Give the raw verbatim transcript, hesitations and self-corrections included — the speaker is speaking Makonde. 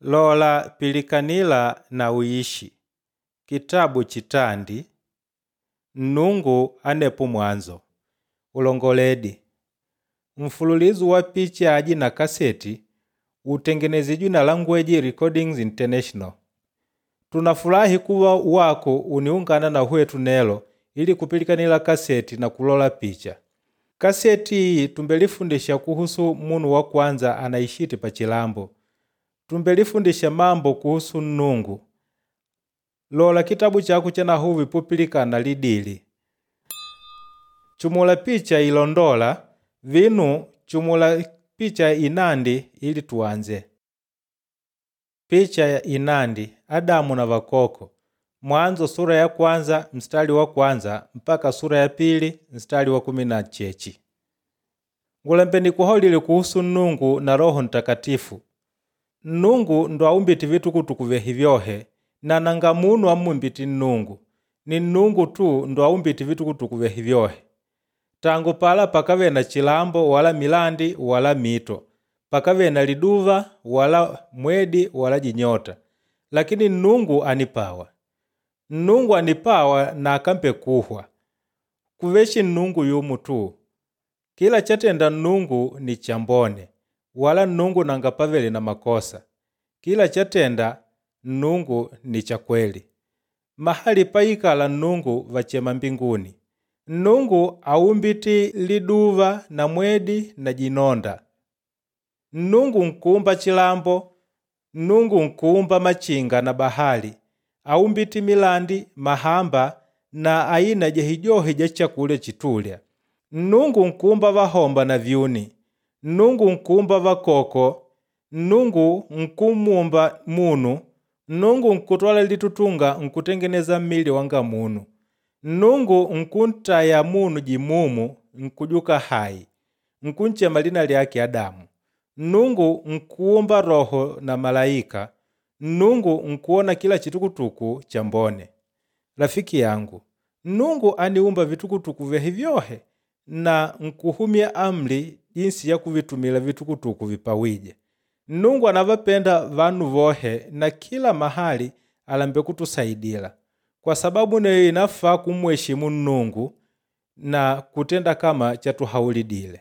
Lola pilikanila na uishi. Kitabu chitandi Nnungu anepo mwanzo. Ulongoledi. Mfululizo wa picha aji na kaseti utengenezidwe na Language Recordings International. Tunafurahi kuwa wako uniungana na hwetu nelo ili kupilikanila kaseti na kulola picha. Kaseti iyi tumbelifundisha kuhusu munu wa kwanza anaishiti pa chilambo. Tumbelifundisha mambo kuhusu Nnungu. Lola kitabu chako cha nahuvi pupilikana lidili. Chumula picha ilondola vinu chumula picha inandi ili tuanze. Picha ya inandi Adamu na vakoko. Mwanzo sura ya kwanza mstari wa kwanza mpaka sura ya pili mstari wa kumi na chechi. Ngulembe nikuhaulile kuhusu Nnungu na Roho Ntakatifu. Nnungu ndo aumbiti vitukutuku vyehi vyohe na nanga munu amumbiti Nnungu. Ni Nnungu tu ndo aumbiti vitukutuku vyehi vyohe. Tangu pala pakave na chilambo wala milandi wala mito. Pakave na liduva wala mwedi wala jinyota. Lakini Nnungu anipawa. Nnungu anipawa na akampe kuhwa. Kuveshi Nnungu yumu tu. Kila chatenda Nnungu ni chambone, wala Nnungu nanga pavele na makosa. Kila chatenda Nnungu ni cha kweli. Mahali paikala Nnungu vachema mbinguni. Nnungu aumbiti liduva na mwedi na jinonda. Nnungu nkuumba chilambo, Nnungu nkuumba machinga na bahali. Aumbiti milandi, mahamba na aina jehijohe ja chakulya chitulya. Nnungu nkuumba vahomba na vyuni. Nnungu nkuumba vakoko. Nnungu nkumumba munu. Nnungu nkutwala litutunga nkutengeneza mmili wanga munu. Nnungu nkuntaya munu jimumu nkujuka hai. Nkunchema lina lyake Adamu. Nnungu nkuumba roho na malaika. Nnungu nkuona kila chitukutuku chambone. Rafiki yangu, Nnungu aniumba vitukutuku vyehi vyohe na nkuhumya amri jinsi ya kuvitumila vitukutuku vipawije. Nnungu anavapenda vanu vohe na kila mahali alambe kutusaidila. Kwa sababu neyo inafaa kumheshimu Nnungu na kutenda kama chatuhaulidile.